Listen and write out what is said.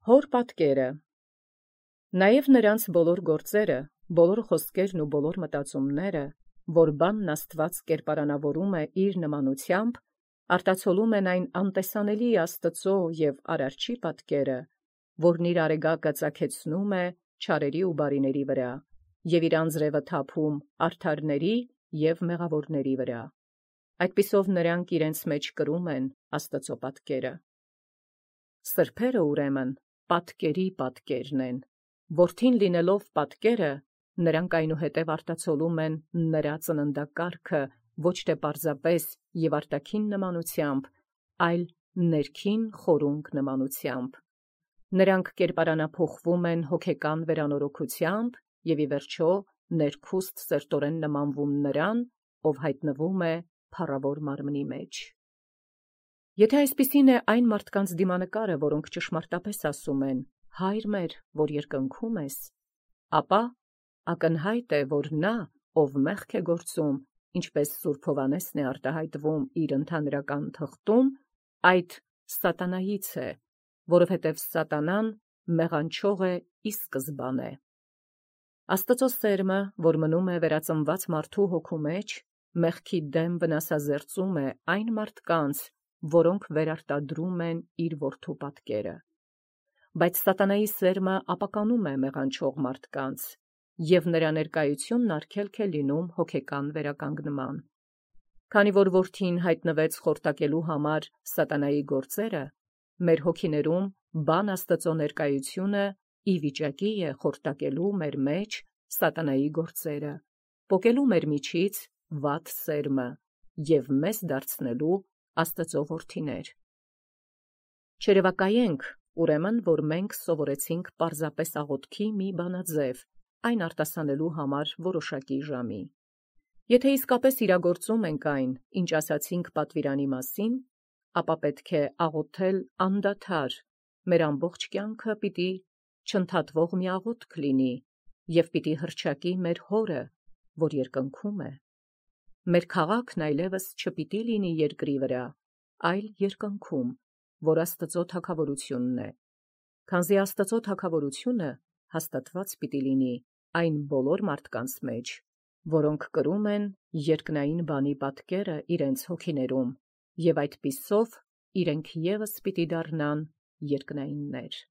Հոր պատկերը։ Նաև նրանց բոլոր գործերը, բոլոր խոսքերն ու բոլոր մտածումները, որ բանն Աստված կերպարանավորում է իր նմանությամբ, արտացոլում են այն անտեսանելի Աստծո և Արարչի պատկերը, որն իր արեգակը ծագեցնում է չարերի ու բարիների վրա, և իր անձրևը թափում արդարների և մեղավորների վրա։ Այդպիսով նրանք իրենց մեջ կրում են Աստծո պատկերը։ Սրբերը ուրեմն պատկերի պատկերն են, որդին լինելով պատկերը, նրանք այնուհետև արտացոլում են նրա ծննդակարգը ոչ թե պարզապես և արտաքին նմանությամբ, այլ ներքին խորունկ նմանությամբ։ Նրանք կերպարանափոխվում են հոգեկան վերանորոգությամբ և ի վերջո ներքուստ սերտորեն նմանվում նրան, ով հայտնվում է փառավոր մարմնի մեջ։ Եթե այսպիսին է այն մարդկանց դիմանկարը, որոնք ճշմարտապես ասում են. «Հայր մեր, որ երկնքում ես», ապա ակնհայտ է, որ նա, ով մեղք է գործում, ինչպես Սուրբ Հովհաննեսն է արտահայտվում իր ընդհանրական թղթում, այդ սատանայից է, որովհետև սատանան մեղանչող է ի սկզբանե։ Աստծո սերմը, որ մնում է վերածնված մարդու հոգու մեջ, մեղքի դեմ վնասազերծում է այն մարդկանց, որոնք վերարտադրում են իր որդու պատկերը։ Բայց սատանայի սերմը ապականում է մեղանչող մարդկանց, և նրա ներկայությունն արգելք է լինում հոգեկան վերականգնման։ Քանի որ որդին հայտնվեց խորտակելու համար սատանայի գործերը, մեր հոգիներում բան Աստծո ներկայությունը ի վիճակի է խորտակելու մեր մեջ սատանայի գործերը, պոկելու մեր միջից վատ սերմը և մեզ դարձնելու Աստծո որդիներ։ Չերևակայենք, ուրեմն, որ մենք սովորեցինք պարզապես աղոթքի մի բանաձև, այն արտասանելու համար որոշակի ժամի։ Եթե իսկապես իրագործում ենք այն, ինչ ասացինք պատվիրանի մասին, ապա պետք է աղոթել անդադար, մեր ամբողջ կյանքը պիտի չընդհատվող մի աղոթք լինի և պիտի հռչակի մեր Հորը, որ երկնքում է։ Մեր քաղաքն այլևս չպիտի լինի երկրի վրա, այլ երկնքում, որ Աստծո թագավորությունն է, քանզի Աստծո թագավորությունը հաստատված պիտի լինի այն բոլոր մարդկանց մեջ, որոնք կրում են երկնային բանի պատկերը իրենց հոգիներում, և այդպիսով իրենք ևս պիտի դառնան երկնայիններ։